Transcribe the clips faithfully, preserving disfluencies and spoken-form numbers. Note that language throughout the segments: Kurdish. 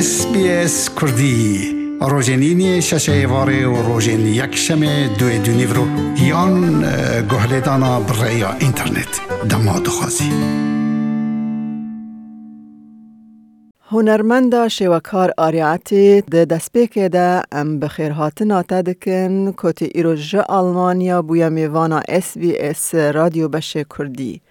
S B S Kurdî, rojên îniyê şeşê êvarê û rojên yekşemê duê dûnîvro yan, e, guhlêdana bi rêya înternet. Dema dixwazî. Hunermenda şêwekar Arya Etî, di destpêkê de em bi xêrhatina te dikin, ku tu îro ji Almanya bûye mêvana S B S Radyo Beşê Kurdî.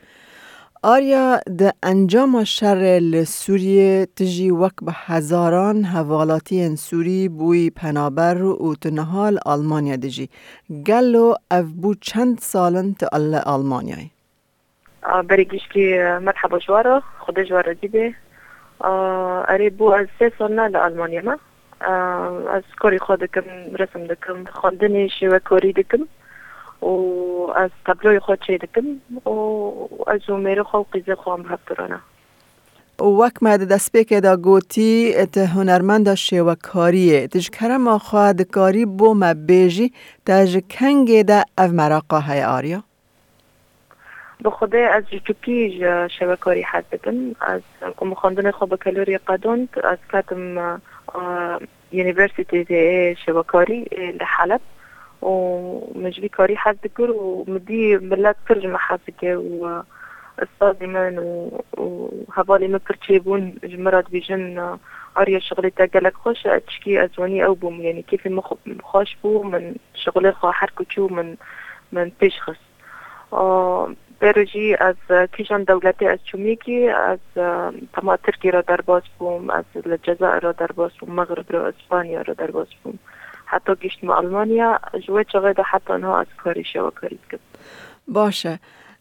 Arya, di encama şerê li Sûriyê tu jî wek bi hezaran hevalatiyên Sûrî bûyî penaber û tu niha li Almanya dijî. Gelo ev bû çend sal in tu li Almanyayê? A, berê gişkî, e, merheba ji we re, Xwedê ji we re razî be. A, erê, bû ez sê sal ne li Almanya me. A, ez karê xwe dikim, resim dikim, xwendinê şêwekarî dikim û ez tabloyê xwe çê dikim û ez û mêrê xwe û qîzê xwe em hev durane. Û wek me di destpêkê de gotî, tu hunermenda şêwekariyê. Tu ji kerema xwe dikarî bo me bêjî, te ji kengê de ev meraqa heye, Arya? Bi Xwedê ez ji çûkî ji şevekarî hez dikim. Ez ku min xwendinê xwe bakalorya qedand, ez ketim, e, Universitê Şevekarî, e, li Heleb û min ji vî karî hez dikir û min dî milet pir ji min hez dike û, e, ustazê min û, û hevalê min pir çêbûn ji min re dibêjin, e, Arya, şixulê te gelek xweş e, tişkî ez wanî ew bûm, yanî kêfê min xwe-, xweş bû, min şixulê xwe her ku çû min, min pêş xist. Aa, berê jî ez, e, kîjan dewletê ez çûmîkî, ez, e, tema Tirkî re derbas bûm, ez li Cezayir re derbas bûm, Mexrib re, Îspanya re derbas bûm. Heta gihiştime Almanya, ji wê çaxê de heta niha ez karî şewekarî dikim. Baş e.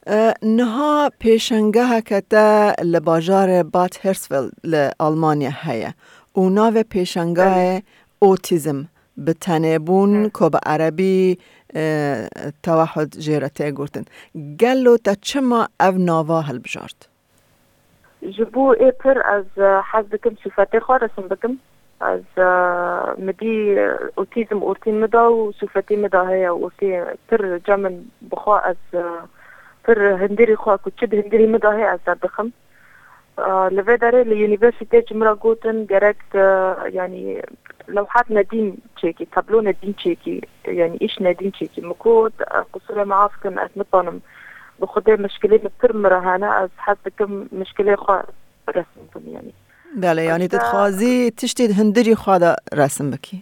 E, niha pêşengeheke te li bajarê Bad Hersfeld li Almanya heye û navê pêşengahê otîzm, bi tenêbûn, Hı. ku bi erebî, e, tewehud jê re tê gotin. Gelo te çima ev nava hilbijart? Ji bo ê pir ez, e, hez dikim sûfetê xwe resim bikim. Ez, e, min dî, e, otîzm ortî min da û sûfetê min da heye û ortê pir ca min bi xwe ez, e, pir hundirî xwe ku çi di hundirî min da heye ez derdixim. Aa, li vê derê li unîversîtê ji min re gotin, gerek, e, yanî lewhat nedîn çêkî, tablo nedîn çêkî, yanî îş nedîn çêkî. Min got, e, qusûrê min af kin, ez nikanim. Bi Xwedê mişkilê min pir min re hene, ez hez dikim mişkilê xwe resim bikim, yanî. Belê, yanî tu dixwazî tiştê di hundirî xwe de resim bikî?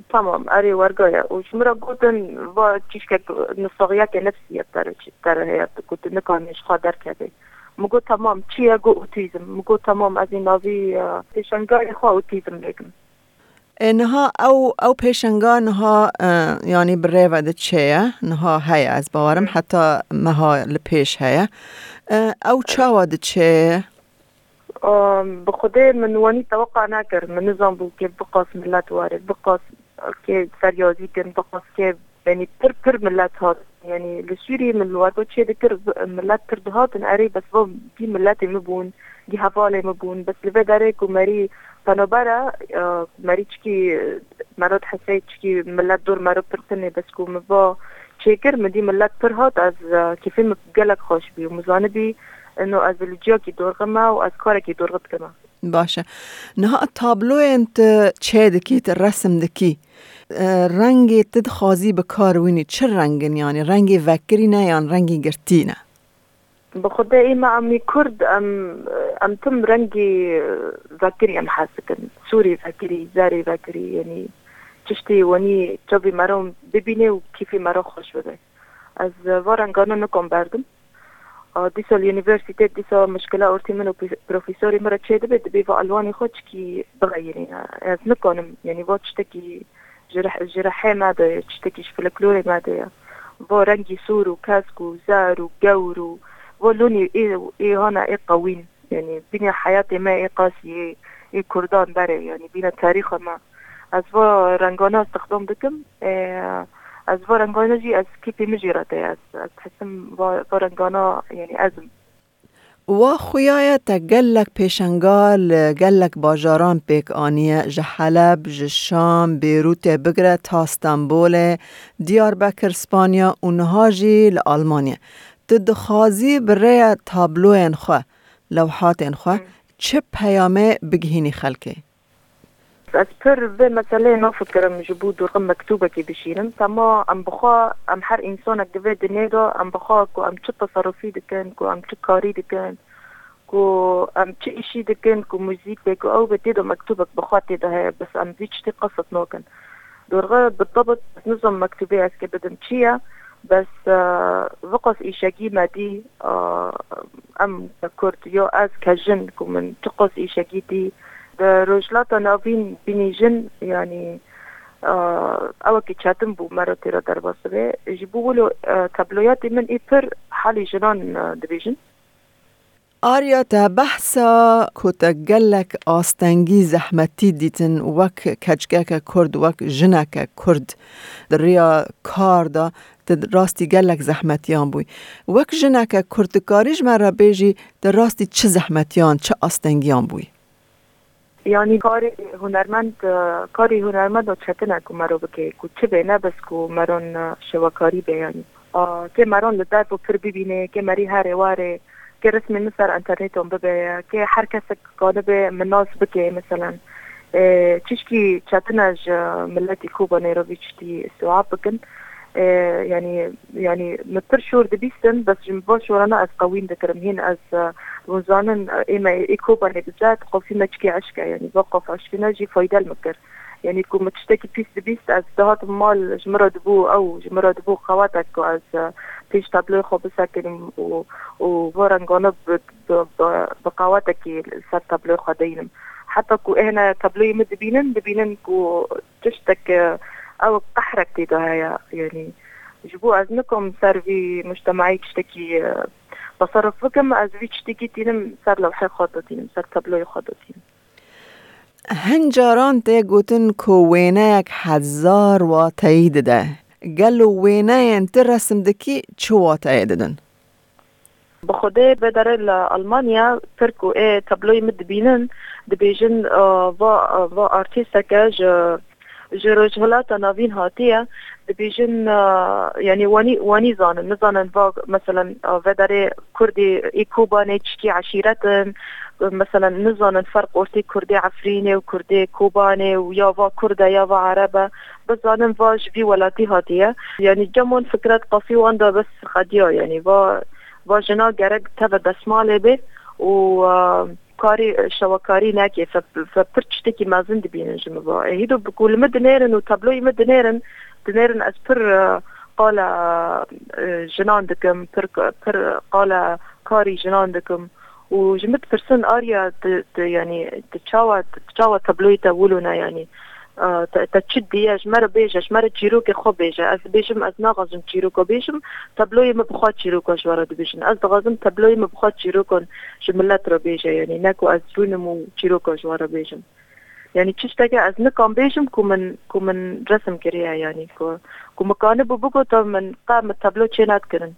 Tamam, erê, werga ye. Û ji min re gotin, va çîşkek, nisaxiyeke nefsî ye, te re, te re heye, ku tu nikanî ji xwe derkevî. Min got, tamam, çi ye? Got, otîzm. Min got, tamam, ez ê navî, e, pêşengayê xwe otîzm lê kim. E, niha ew, ew pêşenga niha, e, yanî bi rê ve diçe ye, niha heye, ez bawerim, Hı. heta meha li pêş heye. E, ew Evet. çawa diçe ye? Aa, bi Xwedê min wanî teweqa nekir. Min nizanbû kê biqas millet were, biqas kê feryazî kin, biqas kê, yanî pir pir millet hat. Yanî li Sûriyê min li wergo çê dikir, millet pir dihatin. Erê, bes va gî milletê min bûn, gî hevalê min bûn. Bes li vê derê ku merî penober e, e, merî çikî, mero dihesey çikî millet dor mero pir tune, bes ku min va çêkir, min dî millet pir hat, ez, e, kêfê min gelek xweş bî û min zanibî, ino ez li ciyakî dorxime û ez karekî dorxe dikime. Baş e. Niha tabloyên tu çê dikî, tu resim dikî, e, rengê tu dixwazî bi kar wînî, çi rengin, yanî rengê vekirî ne yan rengê girtî ne? Bi Xwedê ê me em ê Kurd, em, em tim rengê vekirî em hez dikin. Sûrê vekirî, zerê vekirî, yanî tiştê wenî çavê me re bibîne û kêfê me re xweş bibe. Ez va rengana nikom berdim. A, dîsa li unîversîtê, dîsa mişkila ortê min û pi-, profesorê min re çêdibe, dibê va elwanê xwe çikî bixeyirîne. Ez nikanim, yanî va tiştekî ji rih-, ji rihê me de, tiştekî ji folklorê me de ye. Va rengî sor û kesk û zer û gewr û va lonî ê, ê hana ê qewîn. Yanî bînê heyatê me ê qasî, ê, ê Kurdan berê, yanî bîne tarîxa me. Ez va rengana istixdam dikim. Ê, ez va rengana jî ez kêfê min jê re tê. Ez, ez dihesim va, va rengana, yanî ez im. Wa xuya ye te gelek pêşenga li gelek bajaran pêk aniye, ji Heleb, ji Şam, Bêrûtê bigire ta Stenbolê, Diyarbekir, Spanya û niha jî li Almanya. Tu dixwazî bi rêya tabloyên xwe, lewhatên xwe, Hmm. çi peyamê bigihînî xelkê? Ez pir vê meseleyê nafikirim ji bo dorxî mektûbekê bişînim. Tema em bi xwe, em her însanek di vê dinyê de, em bi xwe ku em çi teserufî dikin, ku em çi karî dikin, ku em çi îşî dikin, ku muzîk bê, ku ew bê, tê de mektûbek bi xwe tê de heye, bes em vî tiştî qesd nakin. Dorxî bi tebit ez nizam mektûbê ez kê bidim çi ye, bes, e, viqas îşegî me dî, e, em ke Kurd ya ez ke jin ku min çiqas îşegî dî, di Rojhilata Navîn bînî jin, yanî, e, ewekî çetin bû me re tê re derbas bibe. Ji bo wilo, e, tabloyatê min ê pir halî jinan, e, dibêjin. Arya, te behsa ku te gelek astengî, zehmetî dîtin wek keçikeke Kurd, wek jineke Kurd di riya kar de, te rastî gelek zehmetiyan bûyî. Wek jineke Kurd dikarî ji me re bêjî, te rastî çi zehmetiyan, çi astengiyan bûyî? Yanî karê hunermend, e, karê hunermend o çetin e ku mero bike, ku çi bê, ne bes ku meron, e, şewekarî bê yanî. A, kê meron li derb û pir bibînê, kê merî herê warê, kê resmê min ser enterneton bibe, kê her kesek kanibe min nas bike, meselen. E, çişkî çetin e ji miletî Kobanê re vî tiştî îstîab bikin. E, yanî, yanî min pir şor dibîstin, bes ji min van şorana ez qewîn dikirim. Hîn ez, e, hûn zanin, e, ê me ê Kobanê bizet, qafî me çikê eşk e, yanî va qaf eşkine jî fayde li min kir. Yanî ku min tiştekî pîs dibîst, ez dihatim mal, ji min re dibû ew, ji min re dibû qewatek ku ez, e, pêş tabloyê xwe bisekinim û, û va rengane bi, bi, bi, bi qewatekî li ser tabloyê xwe deynim. Heta ku êne tabloyê min dibînin, dibînin ku tiştek, e, ew qehrek tê de heye. Yanî ji bo ez nikom ser vî mujtemaî tiştekî, e, teserruf bikim, ez vî tiştekî tînim ser lewhê xwe de tînim, ser tabloyê xwe de tînim. Hin caran tê gotin ku wêneyek hezar wateyî dide. Gelo wêneyên tu resim dikî çi wateyê didin? Bi xwedê vê derê li Almanya pir ku ê tabloyê min dibînin, dibêjin, e, va, va artîsteke ji, ji Rojhilata Navîn hatiye, dibêjin, e, yanî wanî, wanî zanin, nizanin va, meselen, e, vê derê Kurdê ê Kobanê çikî eşîret in, meselen, nizanin ferq ortê Kurdê Efrînê û Kurdê Kobanê û ya va Kurd e ya va Ereb e, bizanin va ji vî welatî hatiye. Yanî cem wan fikret qafî wan de bes xediya, yanî va, va jina gerek teve desmalê be û, e, karî, şewekarî neke, fe, fe pir tiştekî mezin dibînin ji min va. E, hîdo bi ku li min dinêrin û tabloyê min dinêrin, dinêrin ez pir, e, qala, e, jinan dikim, pir, pir qala karî jinan dikim. Û ji min dipirsin, Arya, tu, tu, yanî, tu çawa, tu çawa tabloyê te wilo ne, yanî, e, te, te çi diye, ji me re bêje, ji me re çîrokê xwe bêje. Ez dibêjim, ez naxwazim çîroka bêjim, tabloyê min bi xwe çîroka ji we re dibêjin. Ez dixwazim tabloyê min bi xwe çîrokan ji milet re bêje, yanî, ne ku ez rûnim û çîroka ji we re bêjim. Yanî, tişteke ez nikam bêjim ku min, ku min resim kiriye, yanî, ku, ku min kanibû bigota min, qe min tablo çê nedikirin.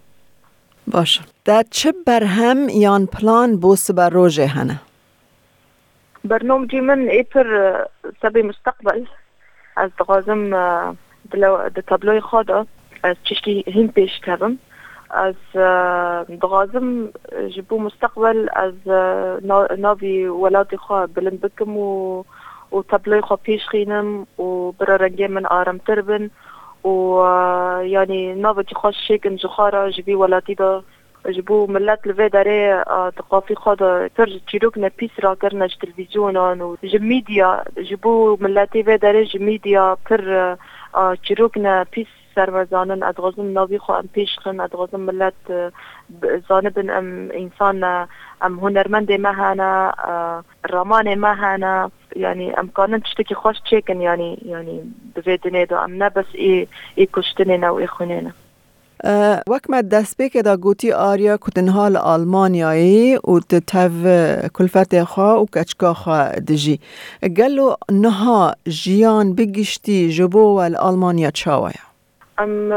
Baş e. Te çi berhem yan plan bo sibe rojê hene? Bernomcî min ê pir, e, sebê musteqbel. Ez dixwazim, e, di lew-, di tabloyê xwe de ez tiştî hîn pêş kevim. Ez, e, dixwazim, e, ji bo musteqbel ez, e, na-, navî welatê xwe bilind bikim û, û tabloyê xwe pêş xînim û bira rengê min aremtir bin û, e, yanî navekî xweş çêkin ji xwe re ji vî welatî de. Ji bo milet li vê derê, a, di qafî xwe de pir çîrokne pîs rakirine ji televîzyonan û ji mîdya, ji bo miletê vê derê ji mîdya pir, a, çîrokne pîs ser me zanin. Ez dixwazim navî xwe em pêş xin, ez dixwazim milet, e, b-, zanibin em însan ne, em hunermendê me hene, e, ramanê me hene. Yanî em kanin tiştekî xweş çêkin, yanî, yanî di vê dinê de em ne bes ê, ê kuştinê ne û ê xwînê ne. E, wek me destpêkê de gotî, Arya, ku tu niha li Almanyayê û tu tev kulfetê xwe û keçika xwe dijî. Gelo niha jiyan bi giştî ji bo we li Almanya çawa ye? Em, e,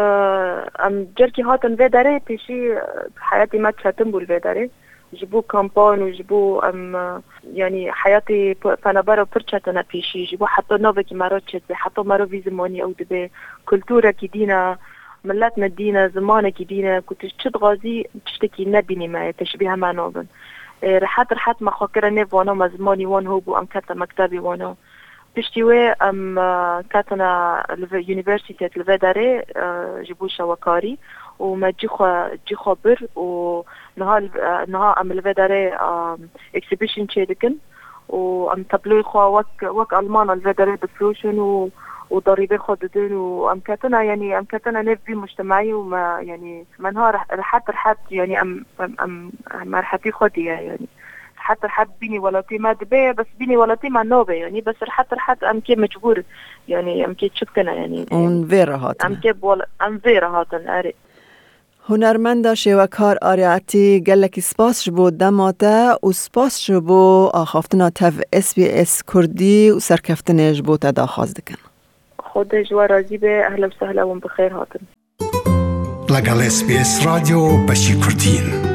em carkî hatin vê derê, pêşî, e, heyatê me çetin bû li vê derê. Ji bo kampan û ji bo em, e, yanî heyatê pe-, penabera pir çetin e pêşî. Ji bo heta navekî me re çêdibe, heta me re vî zimanî ew dibe, kulturekî dîn e, milet me dîn e, zimanekî dîn e, ku tu çi dixwazî, tiştekî nebînî me ye, teşbîhe me nabin. E, rehet rehet me xwe kire nêv wana, me zimanî wan hebû, em kete mektebê wana. Piştî wê em e, ketine li vê unîversîtê li vê derê e, ji bo şewekarî û me cî xwe cî xwe bir û niha li- e, niha em li vê derê e, exhibition çêdikin û em tabloyê xwe wek wek Almana li vê derê difiroşin û û derîbê xwe didin û em ketine, yanî em ketine nêv vî mujtemeyî û me, yanî me niha reh- rehet rehet, yanî em em em em me rehetî xwe diye, yanî rehet rehet bînî welatî me dibe, bes bînî welatî me nabe, yanî bes rehet rehet em kê mecbûr, yanî em kê çi bikine, yanî Hûn vê re em hatin. Kê bi wela- em vê re hatin, erê. Hunermenda şêwekar Arya Etî, gelekî spas ji bo dema te û spas ji bo axaftina tev S B S Kurdî û serkeftinê ji bo te daxwaz dikin. Xwedê ji we razî be, ehla û sehla hûn bi xêr hatin. لەگەڵ S B S رادیۆ بەشی کوردین.